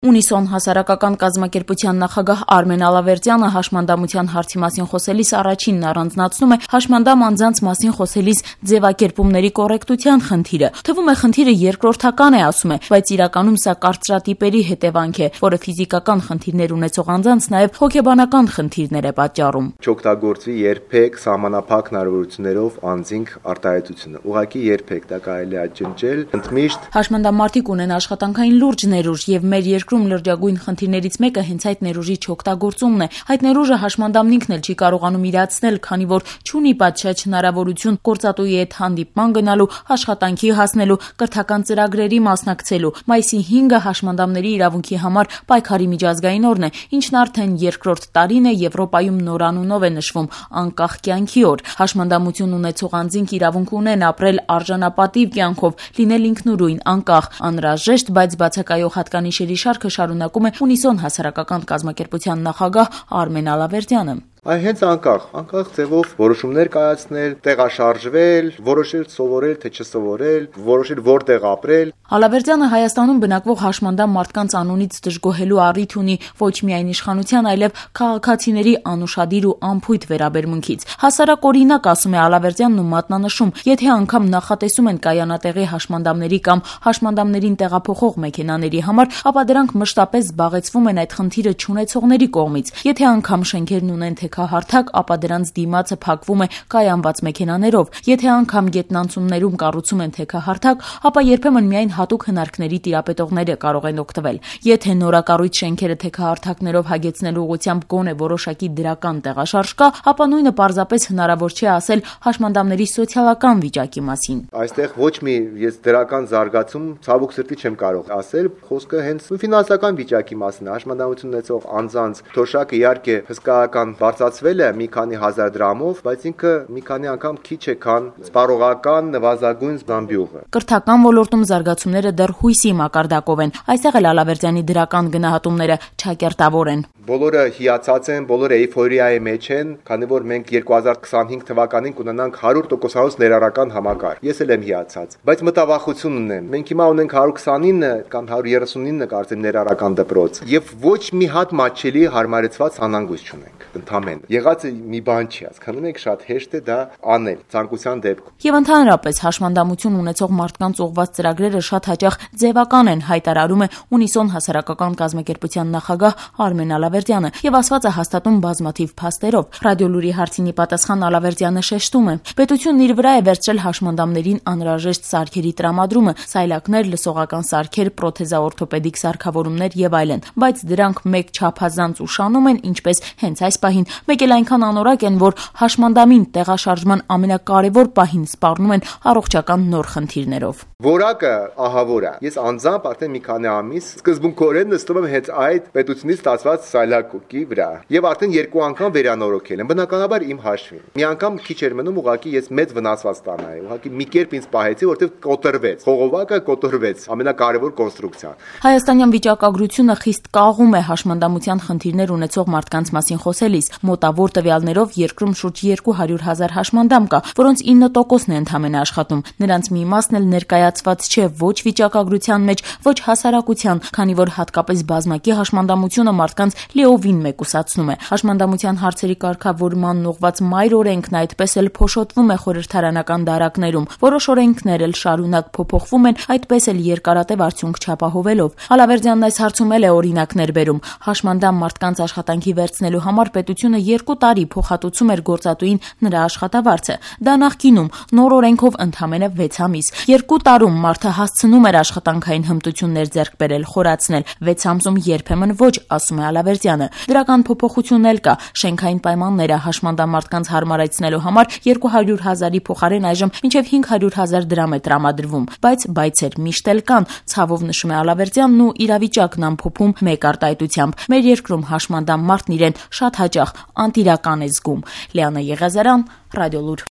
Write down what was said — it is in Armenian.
Ունիսոն հասարակական կազմակերպության նախագահ Արմեն Ալավերդյանը հաշմանդամության հարցի մասին խոսելիս առաջինն առանձնացնում է հաշմանդամ անձանց մասին խոսելիս ձևակերպումների կոռեկտության խնդիրը։ Թվում է խնդիրը երկրորդական է, ասում է, բայց իրականում սա կարծրատիպերի հետևանք է, որը ֆիզիկական խնդիրներ ունեցող անձանց նաև հոգեբանական խնդիրներ է պատճառում։ Չօգտագործվի երբեք սահմանափակ հնարավորություններով անձինք արտահայտությունը։ Ուղղակի երբեք դա կարելի է ջնջել ընդմիշտ։ Հաշմանդամարտիկ ունեն աշխատանքային լուրջ ներուժ եւ մեր երկրում լրջագույն խնդիրներից մեկը հենց այդ ներուժի չօգտագործումն է։ Այդ ներուժը հաշմանդամն ինքն էլ չի կարողանում իրացնել, քանի որ չունի պատշաճ հնարավորություն գործատուի հետ հանդիպման գնալու, աշխատանքի հասնելու, կրթական ծրագրերի մասնակցելու։ Մայիսի 5-ը հաշմանդամների իրավունքի համար պայքարի միջազգային օրն է, ինչն արդեն երկրորդ տարին է Եվրոպայում նորանունով է նշվում անկախ կյանքի օր։ Հաշմանդամություն ունեցող անձինք իրավունք ունեն ապրել արժանապատիվ կյանքով, լինել ինքնուրույն, անկախ, անհրաժեշտ, բայց բացակայող հատկանիշերի շարքը շարունակում է Ունիսոն հասարակական կազմակերպության նախագահ Արմեն Ալավերդյանը։ Այն հենց անկախ ձևով որոշումներ կայացնել, տեղաշարժվել, որոշել սովորել, թե չսովորել, որոշել որտեղ ապրել։ Ալավերդյանը Հայաստանում բնակվող հաշմանդամ մարդկանց անունից դժգոհելու առիթ ունի ոչ միայն իշխանության, այլև քաղաքացիների անուշադիր ու անփույթ վերաբերմունքից։ Հասարակ օրինակ, ասում է Ալավերդյանն ու մատնանշում, եթե անգամ նախատեսում են կայանատեղի հաշմանդամների կամ հաշմանդամներին տեղափոխող մեքենաների համար, ապա դրանք մշտապես զբաղեցվում են այդ խնդիրը չունեցողների կողմից։ Եթե անգամ շենքերն ունեն թեքահարթակ, ապա դրանց դիմացը փակվում է կայանված մեքենաներով։ Եթե անգամ գետնանցումներում կառուցում են թեքահարթակ, ապա երբեմն միայն հատուկ հնարքների տիրապետողները կարող են օգտվել։ Եթե նորակառույց շենքերը թեքահարթակներով հագեցնելու ուղղությամբ գոնե որոշակի դրական տեղաշարժ կա, ապա նույնը պարզապես հնարավոր չէ ասել հաշմանդամների սոցիալական վիճակի մասին։ Այստեղ ոչ մի ես դրական զարգացում ցավոք սրտի չեմ կարող ասել, խոսքը հենց ֆինանսական վիճակի մասին է։ Հաշմանդամություն ունեցող անձանց թոշակը իհարկե հսկայական բարձրացվել է մի քանի հազար դրամով, բայց ինքը մի քանի անգամ քիչ է, քան սպառողական նվազագույն զամբյուղը։ Կրթական ոլորտում զարգացումները դեռ հույսի մակարդակով են։ Այստեղ էլ Ալավերդյանի դրական գնահատումները չակերտավոր են։ Բոլորը հիացած են, բոլորը էյֆորիայի մեջ են, քանի որ մենք 2025 թվականին կունենանք 100% ներառական համակարգ։ Ես էլ եմ հիացած, բայց մտավախություն ունեմ։ Մենք հիմա ունենք 129 կամ 139 կարծեմ ներառական դպրոց, եւ ոչ մի հատ մատչելի հարմարեցված անհանգույց չունենք։ Ընդամենը եղածը մի բան չի, հասկանում եք, շատ հեշտ է դա անել ցանկության դեպքում։ Եվ ընդհանրապես հաշմանդամություն ունեցող մարդկանց ուղղված ծրագրերը շատ հաճախ ձևական են, հայտարարում է Ունիսոն հասարակական կազմակերպության նախագահ Արմեն Ալավերդյանը, եւ ասվածը հաստատում բազմաթիվ փաստերով։ Ռադիոլուրի հարցինի պատասխան Ալավերդյանը շեշտում է. պետությունն իր վրա է վերցրել հաշմանդամներին անհրաժեշտ սարքերի տրամադրումը, սայլակներ, լսողական սարքեր, պրոթեզաօրթոպեդիկ սարքավորումներ եւ այլն, բայց դրանք մեկ չափազանց ուշանում են, ինչպես հենց այս պահին, մեկ էլ այնքան անորակ են, որ հաշմանդամին տեղաշարժման ամենակարևոր պահին սպառնում են առողջական նոր խնդիրներով։ Որակը ահավոր է։ Ես անձամբ արդեն մի քանի ամիս սկզբունքորեն նստում եմ հենց այդ պետությունից ստացված սայլակուկի վրա եւ արդեն 2 անգամ վերանորոգել եմ, բնականաբար իմ հաշվին։ Մի անգամ քիչ էր մնում, ուղղակի ես մեծ վնասված ստանայի, ուղղակի մի կերպ ինձ պահեցի, որտեղ կոտրվեց, խողովակը կոտրվեց, ամենակարևոր կոնստրուկցիան։ Հայաստանյան վիճակագրությունը խիստ կաղում է հաշմանդամության խնդիրներ ունեցող մարդկանց մասին խոսելիս։ Մոտավոր տվյալներով երկրում շուրջ 200,000 հաշմանդամ կա, որոնց 9%-ն է ընդամենը աշխատում։ Նրանց մի մասն էլ ներկայացված չէ ոչ վիճակագրության մեջ, ոչ հասարակության, քանի որ հատկապես բազմակի հաշմանդամությունը մարդկանց լիովին մեկուսացնում է։ Հաշմանդամության հարցերի կարգավորման ուղղված մայր օրենքն այդպես էլ փոշոտվում է խորհրդարանական դարակներում։ Որոշ օրենքներ էլ շարունակ փոփոխվում են, այդպես էլ երկարատև արդյունք չապահովելով։ Ալավերդյանն այս հարցում էլ է օրինակներ բերում։ Հաշմանդամ մարդկանց աշխատանքի վերցնելու համար պետությունը 2 տարի փոխհատուցում էր գործատուին նրա աշխատավարձը։ Դա նախկինում նոր օրենքով ընդամենը 6 ամիս։ 2 տարում մարդը հասցնում էր աշխատանքային հմտություններ ձեռք բերել, խորացնել, 6 ամսում երբեմն ոչ, ասում է Ալավերդյանը։ Դրական փոփոխություն էլ կա։ Շենքային պայմանները հաշմանդամ մարդկանց հարմարեցնելու համար 200,000-ի փոխարեն այժմ մինչև 500,000 դրամ է տրամադրվում, բայց բայցեր միշտ էլ կան, ցավով նշում է Ալավերդյանն ու իրավիճակն ամփոփում մեկ արտահայտությամբ։ Մեր երկրում հաշմանդամ մարդն իրեն շատ հաճախ անտիրական է զգում։ Լիանա Եղիազարյան, Ռադիոլուր։